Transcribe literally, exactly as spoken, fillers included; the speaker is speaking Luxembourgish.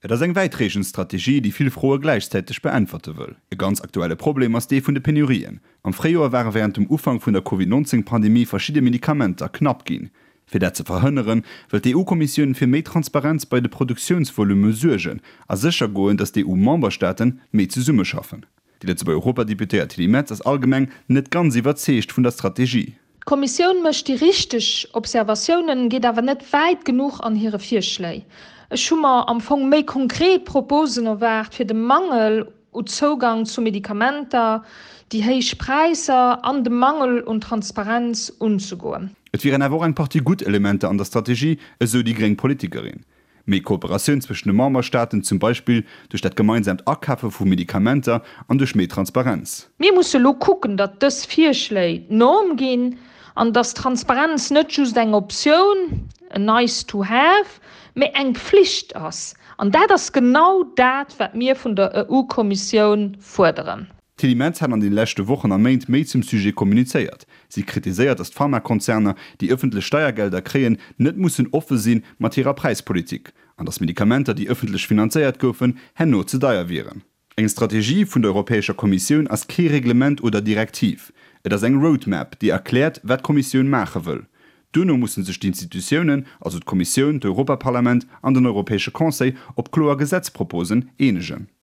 Et ass eng wäitreechend Strategie, déi vill Froe gläichzäiteg beäntwerte wëll. E ganz aktuelle Problem ass dee vun de Penurien. Am Fréijoer ware wärend dem Ufank vun der Covid nonzéng Pandemie verschidde Medikamenter knapp ginn. Fir dat ze verhënneren, wëll d'EU-Kommissioun fir méi Transparenz bei de Produktiounsvolumme suergen a sécher goen, datt d'EU-Memberstaate méi zesummeschaffen. Déi Lëtzebuerger Europadeputéiert Tilly Metz ass allgemeng net ganz iwwerzeegt vun der Strategie. D'Kommissioun mécht déi richteg Observatiounen, geet awer net wäit genuch an hire Virschléi. Ech hu mer am Fong méi konkret Proposen erwaart, fir de Mangel u Zougang zu Medikamenter, déi héich Präisser an de Mangel un Transparenz unzegoen. Et wieren awer och eng Partie gutt Elementer an der Strategie, esou déi gréng Politikerin. Méi Kooperatioun zwëschen de Memberstaaten, zum Beispill duerch dat gemeinsaamt Akafe vu Medikamenter an duerch méi Transparenz. Mir musse lo kucken, datt dës Virschléi d'Norm ginn an datt Transparenz net just eng Optioun, en nice to have, mee eng Pflicht ass. An dat ass genau dat, wat mir vun der E U-Kommissioun fuerderen. D'Tilly Metz hat an de leschte Wochen a Méint méi zum Sujet kommunizéiert. Si kritiséiert, datt d'Pharmakonzerner, déi ëffentlech Steiergelder kréien, net mussen offe si mat hirer Präispolitik an datt Medikamenter, déi ëffentlech finanzéiert goufen, herno ze deier wieren. Eng Strategie vun der Europäescher Kommissioun ass kee Reglement oder Direktiv. Et ass eng Roadmap, déi erkläert, wat d'Kommissioun maache wëll. Duerno musse sech d'Institutiounen, also d'Kommissioun, d'Europaparlament an den Europäesche Conseil, op kloer Gesetzproposen eenegen.